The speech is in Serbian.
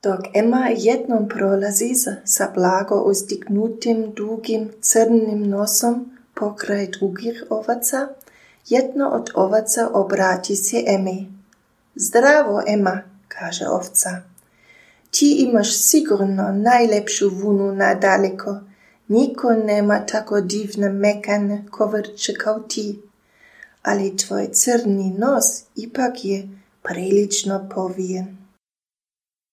Dok Emma jednom prolazi sa blago uzdignutim, dugim, crnim nosom pokraj drugih ovaca, jedno od ovaca obrati se Emi. Zdravo, Emma, kaže ovca. Ti imaš sigurno najlepšu vunu nadaleko. Niko nema tako divne mekane kovrče kao ti. Ali tvoj crni nos ipak je prilično povijen.